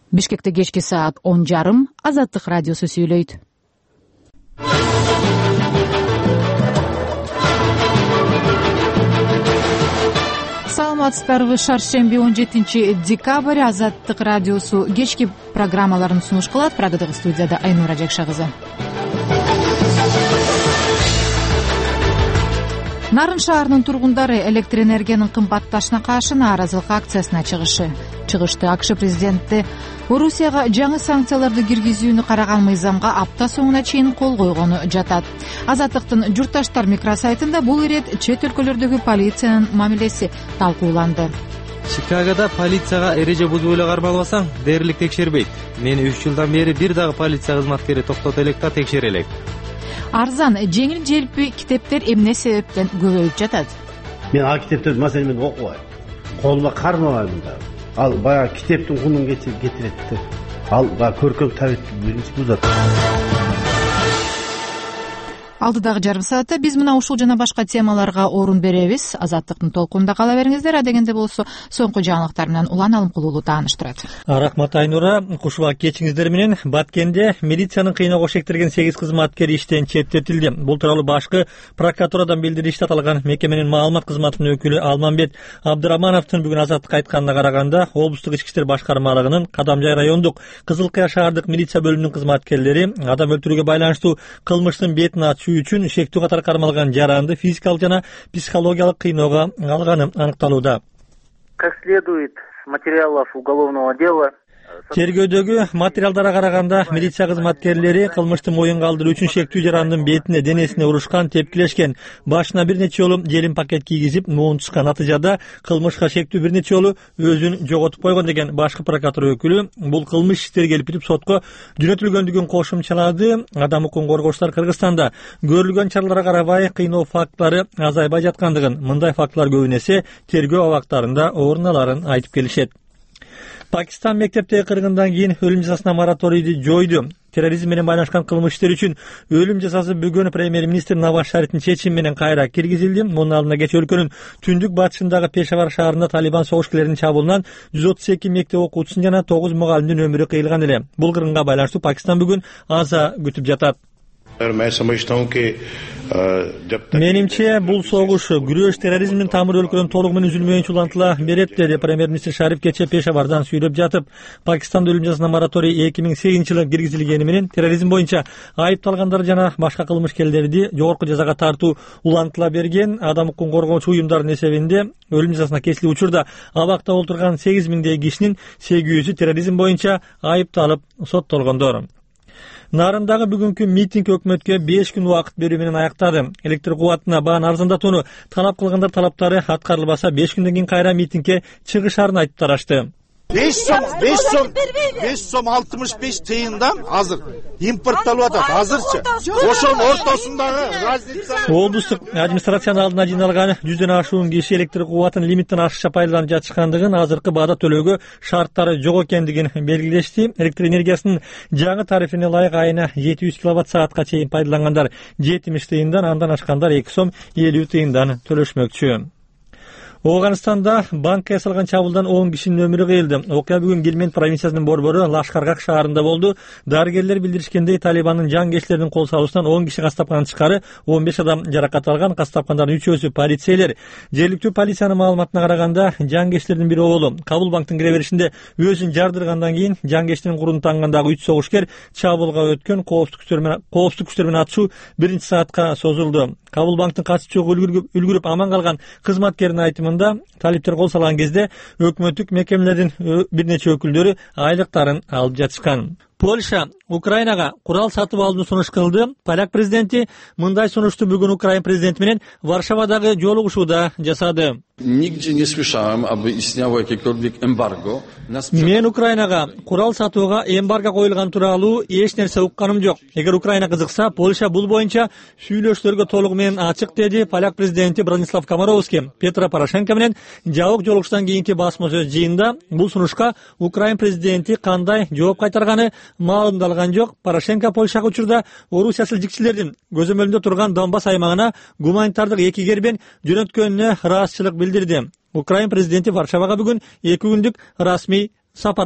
Бишкекте кечки саат 10:30 Азаттык радиосу сүйлөйт. Саламатсыздарбы? Шаршемби 17 декабрь Азаттык радиосу кечки программаларын сунуш кылат. Прагадагы студияда Айнура Жакша кызы. Нарын шаарынын тургундары электр энергиянын кымбатташына каршы нааразылык акциясына чыгышты. АКШ президенти Орусияга жаңы санкцияларды киргизүүнү караган мыйзамга апта соңуна чейин кол койгону жатат. Азаттыктын журтташтар микросайтында бул ирет чет өлкөлөрдөгү полициянын мамилеси талкууланды. Чикагода полицияга эреже бузуп эле кармалбасаң, дээрлик текшербейт. Мени 3 жылдан бери бир дагы полиция кызматкери токтото элек да текшере элек. Арзан, жеңил желпи китептер эмне себептен көбөйүп жатат? Мен ал китептерди маселен мен окубайм. Колума кармабайм да. Ал баягы китептин кунун кетирет да. Ал көркөм табитти биринчи бузат. Алдыдагы жарым саатта биз мына ушул жана башка темаларга орун беребиз. Азаттыктын толкунунда кала бериңиздер. Адегенде болсо соңку жаңылыктар менен Улан Алымкулуулу тааныштырат. Рахмат Айнура. Кушуба кечиңиздер менен Баткенде милициянын кыйноого шектирген 8 кызматкер иштен четтетилди. Бул тууралуу башкы прокуратурадан билдиришти. Аталган мекеменин маалымат кызматынын өкүлү Алманбет Абдырамановдун бүгүн Азаттыкка айтканына караганда, облустук ички иштер башкармалыгынын Кадамжай райондук Кызыл Кыя шаардык милиция бөлүмүнүн кызматкерлери адам өлтүрүүгө байланыштуу кылмыштын бетин үчүн шектүү катары кармалган жаранды физикалык жана психологиялык кыйноого алганы аныкталууда. Как следует материалов уголовного дела. Тергөөдөгү материалдарга караганда, милиция кызматкерлери кылмыштын моюнга алдыруу үчүн шектүү жарандын бетине, денесине урушкан, тепкилешкен, башына бир нече жолу желим пакет кийгизип, муунтушкан. Натыйжада кылмышка шектүү бир нече жолу өзүн жоготуп койгон деген башкы прокуратура өкүлү бул кылмыш иштери келип сотко жөнөтүлгөндүгүн кошумчалады. Адам укугун коргоочулар Кыргызстанда көрүлгөн чараларга карабай кыйноо фактлары азайбай жаткандыгын, мындай фактылар көбүн эсе тергөө абактарында орун аларын айтып келишет. Пакистан мектептеги кыргындан кийин өлүм жазасына мораторийди жойду. Терроризм менен байланышкан кылмыш иштери үчүн өлүм жазасы бүгүн премьер-министр Наваз Шарифтин чечими менен кайра киргизилди. Мунун алдында кечээ өлкөнүн түндүк батышындагы Пешавар шаарында Талибан согушкерлеринин чабуулунан 132 мектеп окуучусунун жана 9 мугалимдин өмүрү кыйылган эле. Бул кыргынга байланыштуу Пакистан бүгүн аза күтүп жатат. Менимче бул согуш күрөш терроризмдин тамыры өлкөнүн толугу менен үзүлмөйүнчө улантыла берет, деди премьер-министр Шариф кечээ Пешавардан сүйлөп жатып. Пакистанда өлүм жазасына мораторий 2008 жылы киргизилгени менен терроризм боюнча айыпталгандар жана башка кылмышкерлерди жогорку жазага тартуу улантыла берген. Адам укугун коргоочу уюмдардын эсебинде өлүм жазасына кесилип учурда абакта отурган 8000 кишинин 800-ü терроризм боюнча айыпталып соттолгондор. Нарындагы бүгүнкү митинг өкмөткө 5 күн убакыт берүү менен аяктады. Электр кубатына бааны арзандатууну талап кылгандар талаптары аткарылбаса 5 күндөн кийин кайра митингге чыгышарын айтып тарашты. 5 сом 65 тыйындан азыр импортталып атат. Азырчы ошонун ортосундагы разница. Облустук администрациянын алдына жиналган 100дөн ашуун киши электр кубатын лимиттен ашыкча пайдаланып жатышкандыгын, азыркы баада төлөөгө шарттары жок экендигин белгилешти. Электр энергиясынын жаңы тарифине ылайык айына 700 киловатт саатка чейин пайдалангандар 70 тыйындан, андан ашкандар 2 сом 50 тыйындан төлөшмөкчү. Оганстанда банкка ясалган чабуулдан 10 кишинин өмүрү кыйылды. Окуя бүгүн Гельмент провинциясынын борбору Лашкаргак шаарында болду. Дарыгерлер билдиришкендей, Талибандын жангечлеринин кол салуусунан 10 киши кастапканын тышкары 15 адам жаракат алган. Кастапкандардын 3-өсү полицейлер. Жергиликтүү полициянын маалыматына караганда, жангечтердин бири оолу Кабул банктын кире беришинде өзүн жардыргандан кийин жангечтин курун тангандагы 3 согушкер чабуулга өткөн. Коопсуздук күчтөр менен атышуу 1 саатка созулду. Кабул банктын катчысы үлгүрүп аман калган кызматкердин айтымында, талиптер кол салган кезде өкмөттүк мекемелердин бир нече өкүлдөрү айлыктарын алып жатышкан. Польша Украинага курал сатып алууну сунуш кылды. Поляк президенти мындай сунушту бүгүн Украин президенти менен Варшавадагы жолугушууда жасады. Nigdzie nie słyszałem, aby istniało jakiekolwiek embargo. Мен Украинага курал сатууга эмбарго коюлган тууралуу эч нерсе укканым жок. Эгер Украина кызыкса, Польша бул боюнча сүйлөшүүлөргө толугу менен ачык, деди поляк президенти Бронислав Комаровский. Петро Порошенко менен жабык жолугуштан кийинки басма сөз жыйында бул сунушка Украин президенти кандай жооп кайтарганы маалымдалган жок. Порошенко Польшага учурда Орусия силжикчилердин көзөмөлүндө турган Донбасс аймагына гуманитардык эки кербен жөнөткөнүнө ыраазычылык билдирди. Украин президенти Варшавага бүгүн 2 күндүк расмий сапар